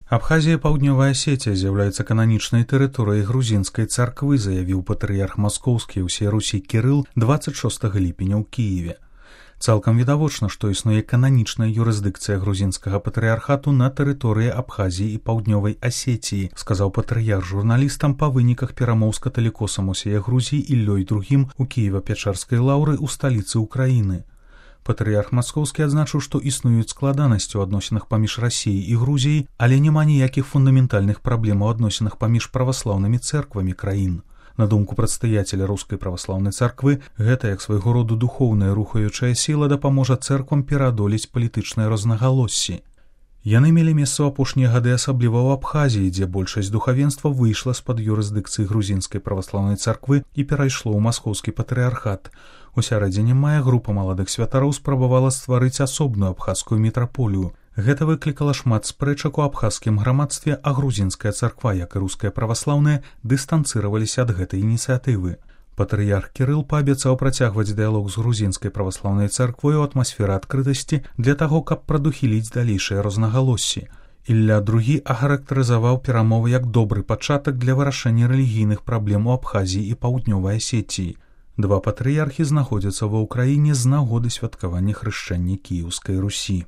Абхазія і Паўднёвая Асетія з'яўляюцца кананічнай тэрыторыяй грузінскай царквы, заявіў патрыярх маскоўскі і ўсёй Русі Кірыл 26 ліпеня ў Кіеве. Цалкам відавочна, што існуе кананічная юрысдыкцыя грузінскага патрыярхату на тэрыторыі Абхазіі і Паўднёвай Асетіі, сказаў патрыярх журналістам па выніках перамоў з каталікосам усяе Грузіі Іллёй II у Кіева-Пячэрскай лаўры ў сталіцы ўкраіны. Патрыярх маскоўскі адзначыў, што існуюць складанасці ў адносінах паміж Расіяй і Грузіяй, але няма ніякіх фундаментальных праблем у адносінах паміж праваслаўнымі цэрквамі краін. На думку прадстаяцеля рускай праваслаўнай царквы, гэта як свайго роду духоўная рухаючая сіла дапаможа цэрквам пераадолець палітычныя рознагалоссі. Яны мелі месца ў апошнія гады асабліва ў Абхазіі, дзе большасць духавенства выйшла з-пад юрысдыкцыі грузінскай праваслаўнай царквы і перайшло ў маскоўскі патрыярхат. У сярэдзіне мая група маладых святароў спрабавала стварыць асобную абхазскую мітраполію. Гэта выклікала шмат спрэчак у абхазскім грамадстве, а грузінская царква, як і руская праваслаўная, дыстанцыраваліся ад гэтай ініцыятывы. Патрыярх Кірыл паабяцаў працягваць дыялог з грузінскай праваслаўнай царквой у атмасферы адкрытасці для таго, каб прадухіліць далейшыя рознагалоссі. Ілля II ахарактарызаваў перамовы як добры пачатак для вырашэння рэлігійных праблем у Абхазіі і Паўднёвай Асетіі. Два патрыярхі знаходзяцца ва ўкраіне з нагоды святкавання хрышчэння Кіеўскай Русі.